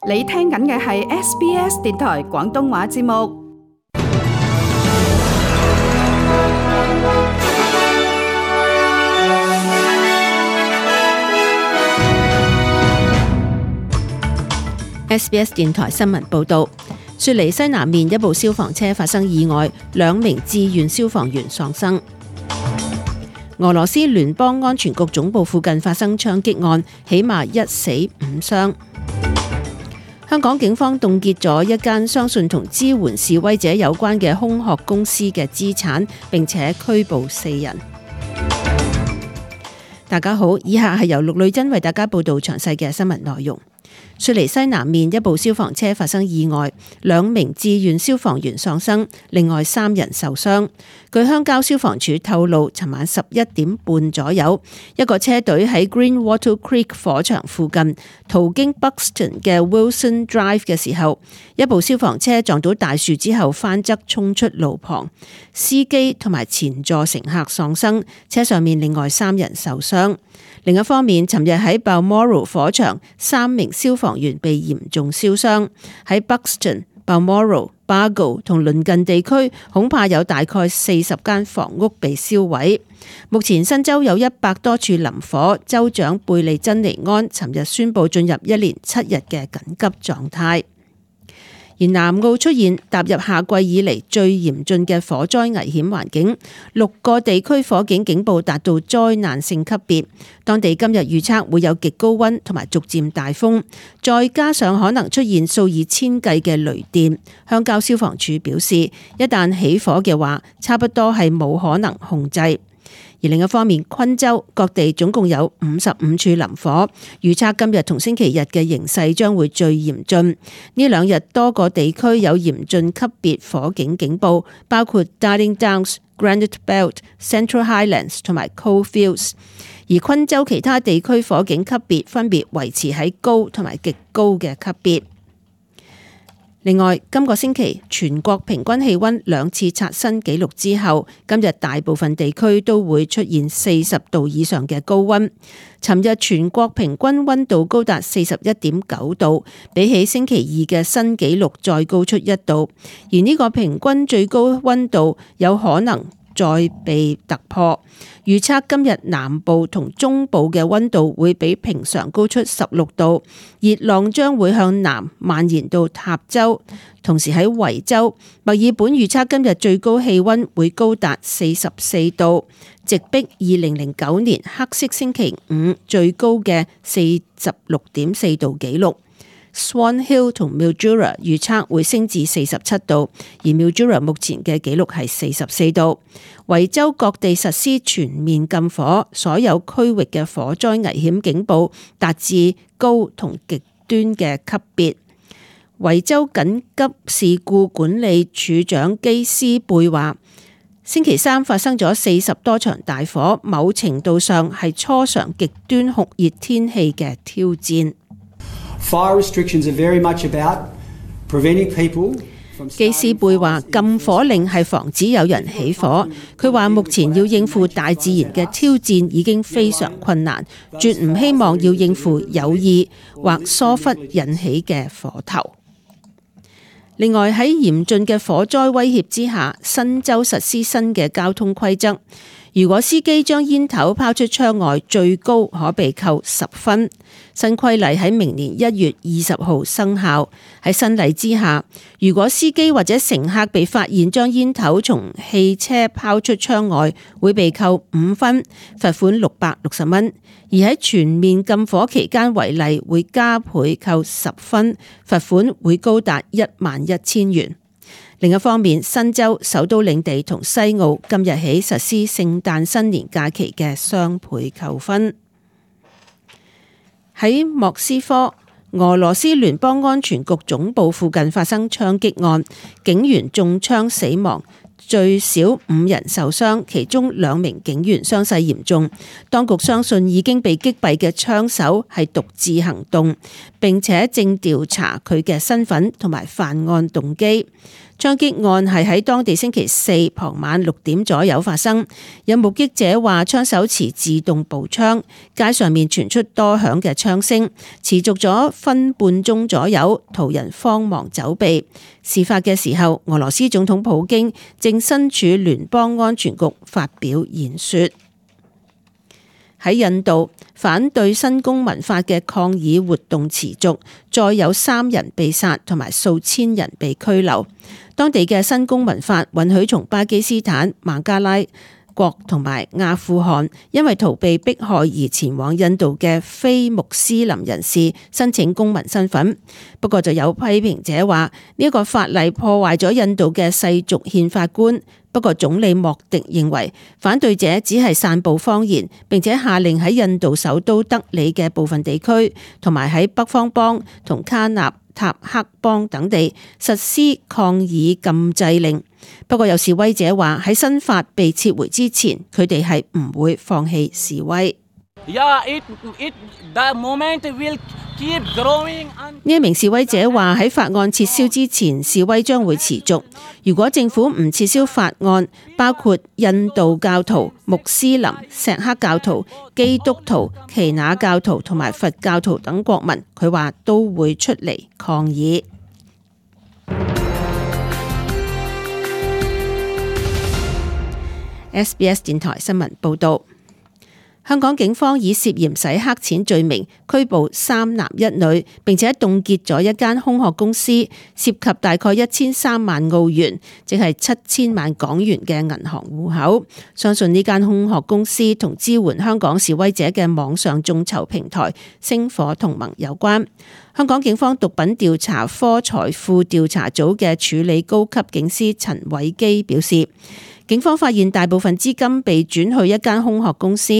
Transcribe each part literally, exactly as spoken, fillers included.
你聽緊嘅係 S B S 電台廣東話節目。S B S 電台新聞報道，雪梨西南面一部消防車發生意外，兩名志願消防員喪生。俄羅斯聯邦安全局總部附近發生槍擊案，起碼一死五傷。香港警方凍結咗一間相信同支援示威者有關嘅空殼公司嘅資產，並且拘捕四人。大家好，以下係由陸女珍為大家報道詳細嘅新聞內容。雪梨西南面一部消防車發生意外，兩名志願消防員喪生，另外三人受傷。據鄉郊消防處透露，尋晚十一點半左右，一個車隊喺 Greenwater Creek 火場附近途經 Buxton 嘅 Wilson Drive 嘅時候，一部消防車撞到大樹之後翻側衝出路旁，司機同埋前座乘客喪生，車上面另外三人受傷。另一方面，尋日喺 Balmoral 火場，三名消防員被嚴重燒傷。喺 Buxton、Balmoral、Bargo 同鄰近地區，恐怕有大概四十間房屋被燒毀。目前新州有一百多處林火，州長貝利珍尼安尋日宣布進入一連七日嘅緊急狀態。而南澳出現踏入夏季以嚟最嚴峻嘅火災危險環境，六個地區火警警報達到災難性級別。當地今日預測會有極高溫同埋逐漸大風，再加上可能出現數以千計嘅雷電。鄉郊消防處表示，一旦起火嘅話，差不多係冇可能控制。而另一方面，昆州各地總共有五十五處林火，預測今日同星期日嘅形勢將會最嚴峻。呢兩日多個地區有嚴峻級別火警警報，包括 Darling Downs、Granite Belt、Central Highlands 同埋 Coalfields。而昆州其他地區火警級別分別維持喺高同埋極高嘅級別。另外，今個星期全國平均氣溫兩次刷新紀錄之後，今日大部分地區都會出現四十度以上嘅高溫。尋日全國平均溫度高達四十一點九度，比起星期二嘅新紀錄再高出一度，而呢個平均最高溫度有可能再被突破。預測今日南部同中部嘅溫度會比平常高出十六度，熱浪將會向南蔓延到塔州。同時喺維州、墨爾本預測今日最高氣溫會高達四十四度，直逼二零零九年黑色星期五最高嘅四十六點四度紀錄。Swan Hill 同 Mildura 預測會升至四十七度，而 Mildura 目前嘅紀錄係四十四度。維州各地實施全面禁火，所有區域嘅火災危險警報達至高同極端嘅級別。維州緊急事故管理處長基斯貝話，星期三發生咗四十多場大火，某程度上係初嘗極端酷熱天氣嘅挑戰。Fire restrictions are very much about preventing people from 基斯貝話禁火令係防止有人起火。佢話目前要應付大自然嘅挑戰已經非常困難，絕唔希望要應付有意或疏忽引起嘅火頭。另外喺嚴峻嘅火災威脅之下，新州實施新嘅交通規則。如果司機將煙頭拋出窗外，最高可被扣十分。新規例喺明年一月二十號生效。喺新例之下，如果司機或者乘客被發現將煙頭從汽車拋出窗外，會被扣五分，罰款六百六十蚊。而喺全面禁火期間違例，會加倍扣十分，罰款會高達一萬一千元。另一方面，新州、首都領地同西澳今日起實施聖誕新年假期嘅雙倍扣分。喺莫斯科，俄羅斯聯邦安全局總部附近發生槍擊案，警員中槍死亡，最少五人受傷，其中兩名警員傷勢嚴重。當局相信已經被擊斃嘅槍手係獨自行動，並且正調查佢嘅身份同埋犯案動機。槍擊案係喺當地星期四傍晚六點左右發生。有目擊者話，槍手持自動步槍，街上面傳出多響嘅槍聲，持續咗分半鐘左右，途人慌忙走避。事發嘅時候，俄羅斯總統普京正身處聯邦安全局發表演說。喺印度，反對新公民法嘅抗議活動持續，再有三人被殺同埋數千人被拘留。當地嘅新公民法允許從巴基斯坦、孟加拉國同埋阿富汗因為逃避迫害而前往印度嘅非穆斯林人士申請公民身份。不過就有批評者話呢一個法例破壞咗印度嘅世俗憲法觀。不過總理莫迪認為反對者只係散布謊言，並且下令喺印度首都德里嘅部分地區同埋喺北方邦同卡納塔克邦等地實施抗議禁制令。不過有示威者話喺新法被撤回之前，佢哋係唔會放棄示威。Yeah, it, it, the moment will keep growing. 呢一名示威者話喺法案撤銷之前，示威將會持續。如果政府唔撤銷法案，包括印度教徒、穆斯林、錫克教徒、基督徒、耆那教徒同埋佛教徒等國民，佢話都會出嚟抗議。S B S 電台新聞報道。香港警方以涉嫌洗黑錢罪名拘捕三男一女，並且凍結咗一間空殼公司，涉及大概一千三萬澳元，即係七千萬港元嘅銀行戶口。相信呢間空殼公司同支援香港示威者嘅網上眾籌平台星火同盟有關。香港警方毒品調查科財富調查組嘅處理高級警司陳偉基表示，警方發現大部分資金被轉去一間空殼公司，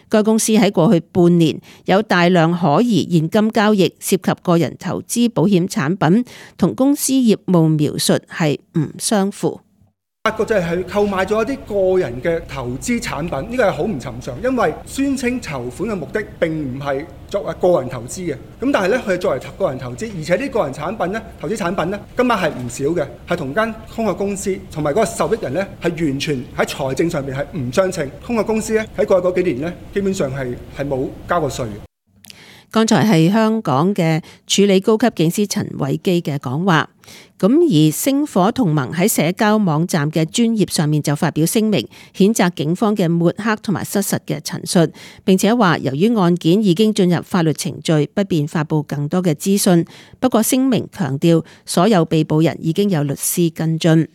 該公司喺過去半年有大量可疑現金交易，涉及個人投資保險產品，同公司業務描述係唔相符。發覺就係購買咗一啲個人嘅投資產品，呢個係好唔尋常，因為宣稱籌款嘅目的並唔係作為個人投資嘅，咁但係咧佢係作為個人投資，而且呢個人產品咧投資產品咧金額係唔少嘅，係同間空殼公司同埋嗰個受益人咧係完全喺財政上面係唔相稱。空殼公司咧喺過去嗰幾年咧基本上係係冇交過稅嘅。剛才係香港嘅處理高級警司陳偉基嘅講話，咁而星火同盟喺社交網站嘅專頁上面就發表聲明，譴責警方嘅抹黑同埋失實嘅陳述，並且話由於案件已經進入法律程序，不便發布更多嘅資訊。不過聲明強調，所有被捕人已經有律師跟進。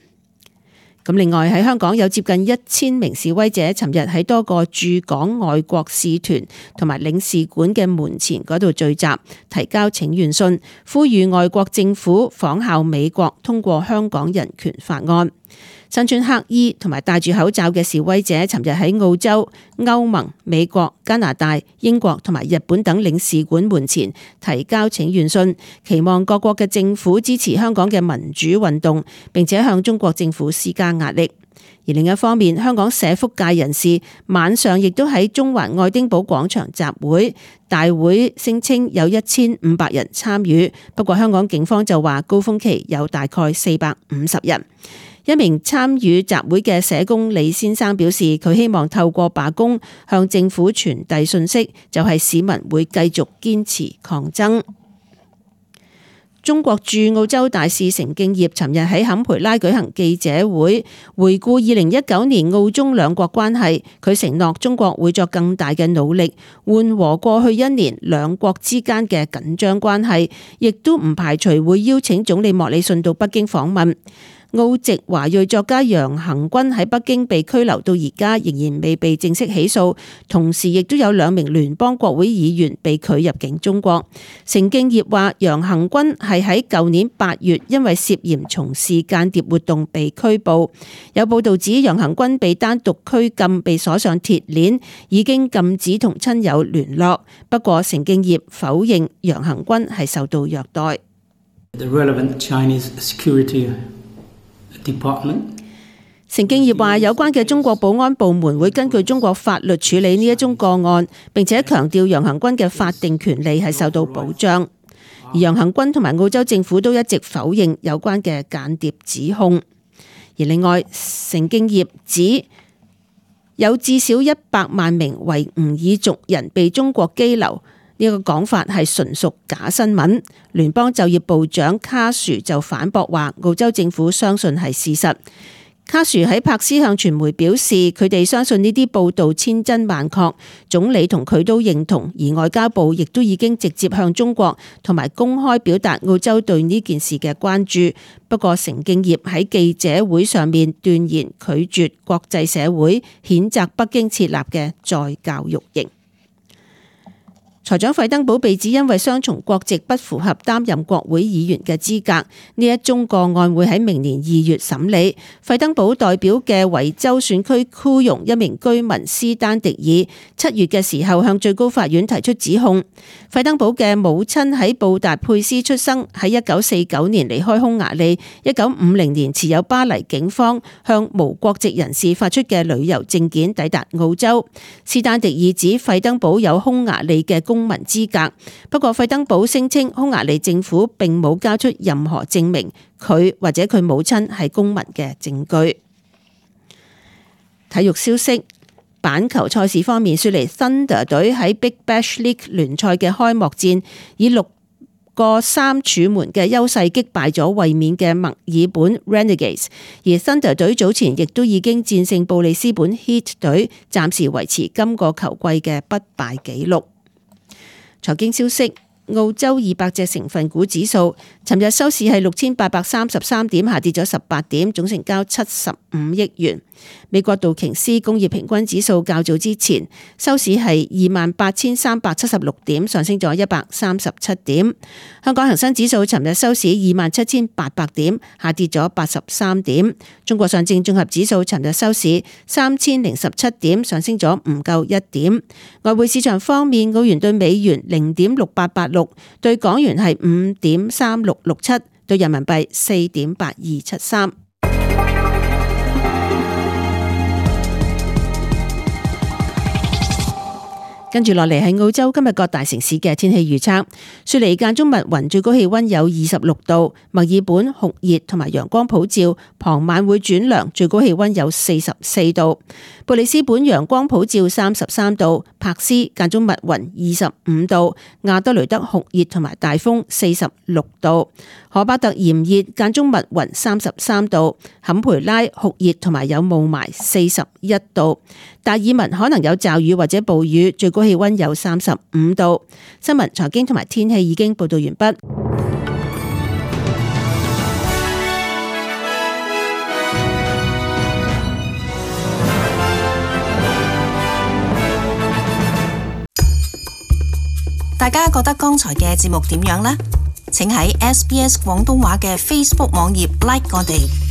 咁另外喺香港有接近一千名示威者，尋日喺多個駐港外國使團同埋領事館嘅門前嗰度聚集，提交請願信，呼籲外國政府仿效美國通過香港人權法案。身穿黑衣同埋戴住口罩嘅示威者，尋日喺澳洲、歐盟、美國、加拿大、英國同埋日本等領事館門前提交請願信，期望各國嘅政府支持香港嘅民主運動，並且向中國政府施加壓力。而另一方面，香港社福界人士晚上亦都喺中環愛丁堡廣場集會，大會聲稱有一千五百人參與，不過香港警方就話高峰期有大概四百五十人。一名參與集會嘅社工李先生表示，佢希望透過罷工向政府傳遞訊息，就係市民會繼續堅持抗爭。中國駐澳洲大使成敬業尋日喺坎培拉舉行記者會，回顧二零一九年澳中兩國關係。佢承諾中國會作更大嘅努力緩和過去一年兩國之間嘅緊張關係，亦都唔排除會邀請總理莫里遜到北京訪問。澳籍華裔作家楊恒軍喺北京被拘留到而家，仍然未被正式起訴，同時亦都有兩名聯邦國會議員被拒入境中國。成敬業話楊恒軍係喺舊年八月因為涉嫌從事間諜活動被拘捕。有報道指楊恒軍被單獨拘禁，被鎖上鐵鏈，已經禁止同親友聯絡。不過成敬業否認楊恒軍係受到虐待。The relevant Chinese security Department. 成敬業話有關嘅中國保安部門會根據中國法律處理呢一宗個案，並且強調楊恒軍嘅法定權利係受到保障。而楊行軍同埋澳洲政府都一直否認有關嘅間諜指控。而另外，成競業指有至少一百萬名維吾爾族人被中國羈留，呢個講法係純屬假新聞。聯邦就業部長卡殊就反駁話，澳洲政府相信係事實。卡殊喺柏斯向傳媒表示，佢哋相信呢啲報道千真萬確，總理同佢都認同，而外交部亦都已經直接向中國同埋公開表達澳洲對呢件事嘅關注。不過，成競業喺記者會上面斷言拒絕國際社會譴責北京設立嘅再教育營。財長費登堡被指因為雙重國籍不符合擔任國會議員嘅資格，呢一宗個案會喺明年二月審理。費登堡代表嘅維州選區庫容一名居民斯丹迪爾七月嘅時候向最高法院提出指控。費登堡嘅母親喺布達佩斯出生，喺一九四九年離開匈牙利，一九五零年持有巴黎警方向無國籍人士發出嘅旅遊證件抵達澳洲。斯丹迪爾指費登堡有匈牙利嘅公民資格，不過費登堡聲稱匈牙利政府並冇交出任何證明佢或者佢母親係公民嘅證據。體育消息，板球賽事方面，雪梨 Thunder 隊喺 Big Bash League 聯賽嘅開幕戰以六個三柱門嘅優勢擊敗咗衛冕嘅墨爾本 Renegades， 而 Thunder 隊早前亦都已經戰勝布里斯本 Heat 隊，暫時維持今個球季嘅不敗紀錄。財經消息，澳洲二百隻成分股指數尋日收市係六千八百三十三點，下跌咗十八點，總成交七十五億元。美國道瓊斯工業平均指數較早之前收市係二萬八千三百七十六點，上升咗一百三十七點。香港恒生指數尋日收市二萬七千八百點，下跌咗八十三點。中國上證綜合指數尋日收市三千零十七點，上升咗唔夠一點。外匯市場方面，澳元對美元零點六八八六，對港元係五點三六六七，對人民幣四點八二七三。跟住落嚟係澳洲今日各大城市嘅天氣預測。雪梨間中密雲，最高氣溫有二十六度；墨爾本酷熱同埋陽光普照，傍晚會轉涼，最高氣溫有四十四度。布里斯本陽光普照，三十三度；柏斯間中密雲，二十五度；亞德雷德酷熱同埋大風，四十六度；荷巴特炎熱間中密雲，三十三度；坎培拉酷熱同埋有霧霾，四十一度；達爾文可能有驟雨或者暴雨，最高氣溫有三十五度。新聞、財經同埋天氣已經報道完畢。大家覺得剛才嘅節目點樣呢？請喺 S B S 廣東話嘅 Facebook 網頁 like 我哋。